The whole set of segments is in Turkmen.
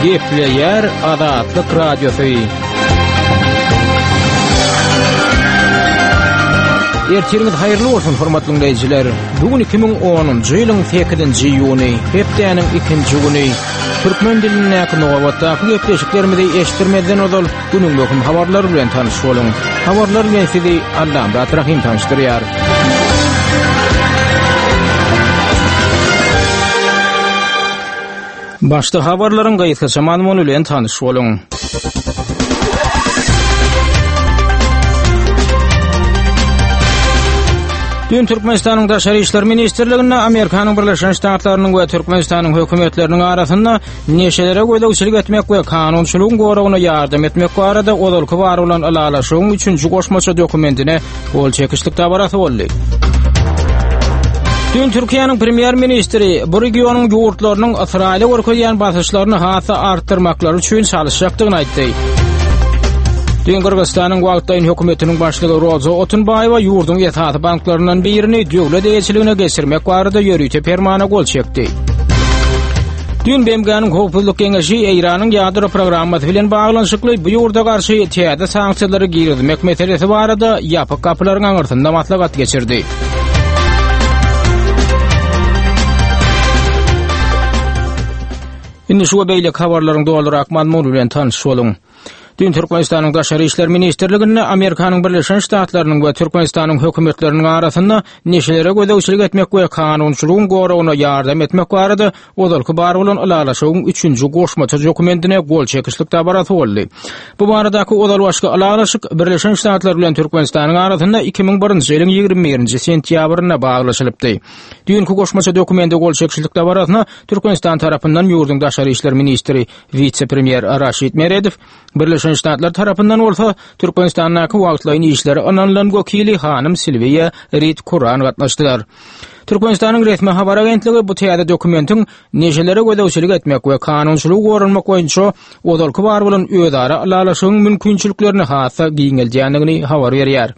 Gepleýär Azatlyk Radiosy. Ertiriňiz haýyrly bolsun, hormatly diňleýjiler. Bu gün 2010-njy ýylyň 8-nji iýuny, hepdäniň ikinji güni. Türkmen dilindäki nobatdaky gepleşiklerimizi eşitdirmezden ozal günüň möhüm habarlary bilen tanyş boluň. Habarlar bilen sizi Allamyrat Rahym tanyşdyrýar. Başda habarlaryň gysgaça mazmuny bilen tanyş boluň. Dün Türkmenistanyň Daşary işler ministrliginde Amerikanyň Birleşen Ştatlarynyň we Türkmenistanyň hökümetleriniň arasynda neşelere gözegçilik etmek we kanunçylygyň goragyna ýardam etmek barada ozalky bar bolan ylalaşygyň üçünji goşmaça dokumentine gol çekişlik dabarasy boldy. Dün Türkiýäniň premýer-ministri bu regionyň ýurtlarynyň Ysraýyla görkezýän basyşlaryny has-da artdyrmaklary üçin çalyşjakdygyny aýtdy. Dün Gyrgyzystanyň wagtlaýyn hökümetiniň başlygy Roza Otunbaýewa ýurduň esasy banklaryndan birini döwlet eýeçiligine geçirmek barada ýörite permana gol çekdi. Dün BMG-niň Howpsuzlyk Geňeşi Eýranyň ýadro programmasy bilen baglanyşykly bu ýurda garşy täze sanksiýalary girizmek meselesi barada ýapyk gapylaryň aňyrsynda maslahat geçirdi. Indi şu we beýleki habarlaryň dolurak mazmuny bilen tanyş boluň. Dün Türkmenistanyň Daşary işler ministrliginde Amerikanyň Birleşen Ştatlarynyň we Türkmenistanyň hökümetleriniň arasynda neşelere gözegçilik etmek we kanunçylygyň goragyna ýardam etmek barada ozalky bar bolan ylalaşygyň üçünji goşmaça dokumentine gol çekişlik dabarasy boldy. Bu baradaky ozalbaşky ylalaşyk Birleşen Ştatlar bilen Türkmenistanyň arasynda 2001-nji ýylyň 21-nji sentýabrynda baglaşylypdy. Düýnki goşmaça dokumente gol çekişlik dabarasyna Türkmenistan tarapyndan ýurduň daşary işler ministri Wise-premýer Raşid Meredow, Birleşen Ştatlar tarapyndan bolsa Türkmenistandaky wagtlaýyn işleri ynanylan wekili hanym Silwiýa Rid Kuran gatnaşdylar. Türkmenistanyň resmi habar agentligi bu täze dokumentiň neşelere gözegçilik etmek we kanunçylygy goranmak boýunça ozalky bar bolan özara ylalaşygyň mümkinçiliklerini has-da giňeldýändigini habar berýär.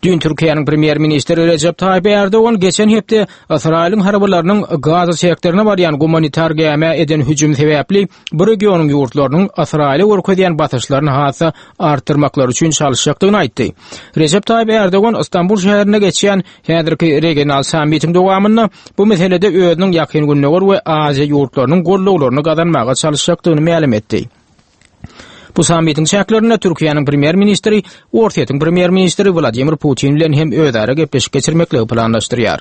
Düýn Türkiýäniň premýer-ministri Rejep Taýyp Ärdogan geçen hepde Ysraýylyň harbylarynyň Gaza sektoryna barýan gumanitar gämä eden hüjümi sebäpli bu regionyň ýurtlarynyň Ysraýyla görkezýän basyşlaryny has-da artdyrmaklary üçin çalyşjakdygyny aýtdy. Rejep Taýyp Ärdogan Istanbul şäherinde geçýän häzirki regional sammitiň dowamynda bu meselede özüniň Ýakyn Gündogar we Aziýa ýurtlarynyň goldawlaryny gazanmaga çalyşjakdygyny mälim etdi. Bu sammitiň çäklerinde Türkiýäniň premýer-ministri Orsýetiň premýer-ministri Wladimir Putin bilen hem özara gepleşik geçirmekligi planlaşdyrýar.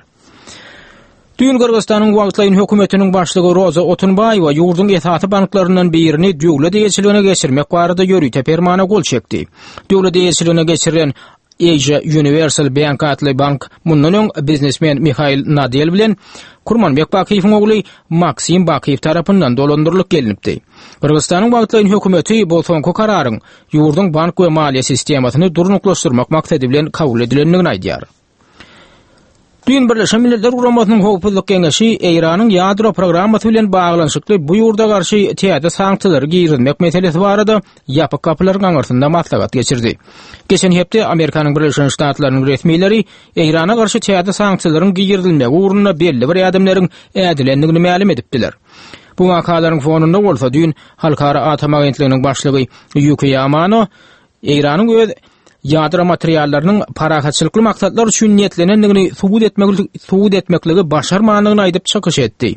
Düýn Gyrgyzystanyň wagtlaýyn hökümetiniň başlygy Roza Otunbaýewa ýurduň esasy banklaryndan birini döwlet eýeçiligine geçirmek barada ýörite permana gol çekdi. Döwlet eýeçiligine geçirilen Asia Universal Bank atly bank mundan öň biznesmen Mihail Nadel bilen Kurmanbek Bakyýewiň ogly Maksim Bakyýew tarapyndan dolandyrylyp gelnipdi. Gyrgyzystanyň wagtlaýyn hökümeti bu soňky kararyň ýurduň bank we maliýe sistemasyny durnuklaşdyrmak maksady bilen kabul edilendigini aýdýar. Düýn Birleşen Milletler Guramasynyň Howpsuzlyk Geňeşi Eýranyň ýadro programmasy bilen baglanyşykly bu ýurda garşy täze sanksiýalary girizmek meselesi barada ýapyk gapylaryň aňyrsynda maslahat geçirdi. Geçen hepde Amerikanyň Birleşen Ştatlarynyň resmileri Eýrana garşy täze sanksiýalaryň girizilmegi ugrunda belli bir ädimleriň ädilendigini mälim edipdiler. Bu wakalaryň fonunda bolsa düýn Halkara atom agentliginiň başlygy Ýukiýa Amano Eýranyň öz ýadro materiallarynyň parahatçylykly maksatlar üçin niýetlenendigini subut etmek subut etmekligi başarmandygyny aýdyp çykyş etdi.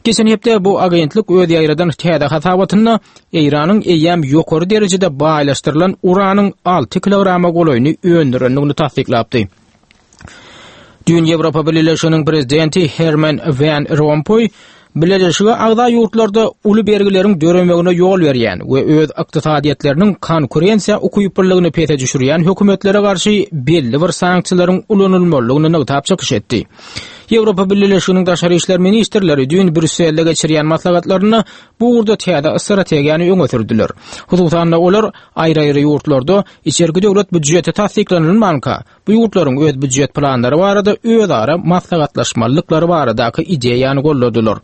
Geçen hepde bu agentlik öz ýaýradan täze hasabatynda Eýranyň eýýäm ýokary derejede baýlaşdyrylan uranyň 6 kilograma golaýyny öndürendigini tassyklapdy. Düýn Ýewropa Bileleşiginiň prezidenti Herman Wan Rompuý Bileleşige agza ýurtlarda uly bergileriň döremegine ýol berýän we öz ykdysadyýetleriniň konkurensiýa ukyplylygyny pese düşürýän hökümetlere garşy belli bir sanksiýalaryň ulanylmalydygyny nygtap çykyş etdi. Ýewropa Bileleşiginiň daşary işler ministrleri düýn Brýusselde geçirýän maslahatlarynda bu ugurda täze strategiýany öňe sürdüler. Hususan-da, olar aýry-aýry ýurtlarda içerki döwlet býujeti tassyklanylmanka, bu ýurtlaryň öz býujet planlary barada özara maslahatlaşmalydyklary baradaky ideýany goldadylar.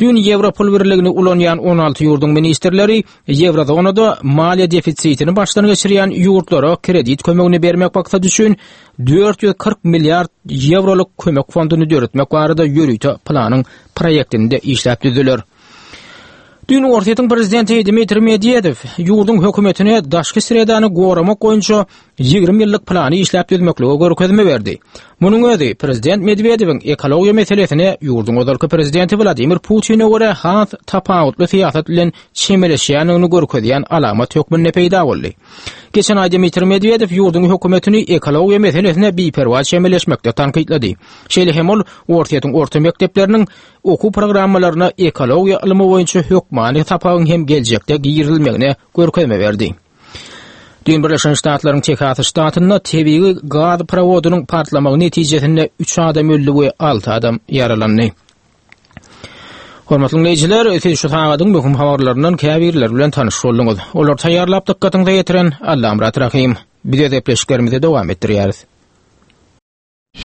Düýn Ýewro pul birligini ulanýan 16 ýurduň ministrleri Ýewrozonada maliýe defisitini başdan geçirýän ýurtlara kredit kömegini bermek maksady üçin 440 milliard ýewrolyk kömek fonduny döretmek barada ýörite planyň proýektini-de işläp düzdüler. Düýn Orsýetiň prezidenti Dmitriý Medwedew ýurduň hökümetine daşky sredany goramak boýunça 20 ýyllyk plany işläp düzmeklige görkezme berdi. Munuň özi prezident Medwedewiň ekologiýa meselesine ýurduň ozalky prezidenti Wladimir Putine görä has tapawutly syýasat bilen çemeleşýändigini görkezýän alamat hökmünde peýda boldy. Geçen aý Dmitriý Medwedew ýurduň hökümetini ekologiýa meselesine biperwaý çemeleşmekde tankytlady. Şeýle hem ol Orsýetiň orta mekdepleriniň okuw programmalaryna ekologiýa ylmy boýunça hökmany sapagyň hem geljekde girizilmegine görkezme berdi. Düýn Birleşen Ştatlaryň Tehas ştatynda tebigy gaz prowodynyň partlamagy netijesinde 3 adam öldi we 6 adam ýaralandy. Hormatly diňleýjiler, siz şu sagadyň möhüm habarlaryndan käbirleri bilen tanyş bolduňyz. Olary taýýarlap dykgatyňyza ýetiren Allamyrat Rahym. Biz öz gepleşiklerimizi dowam etdirýäris.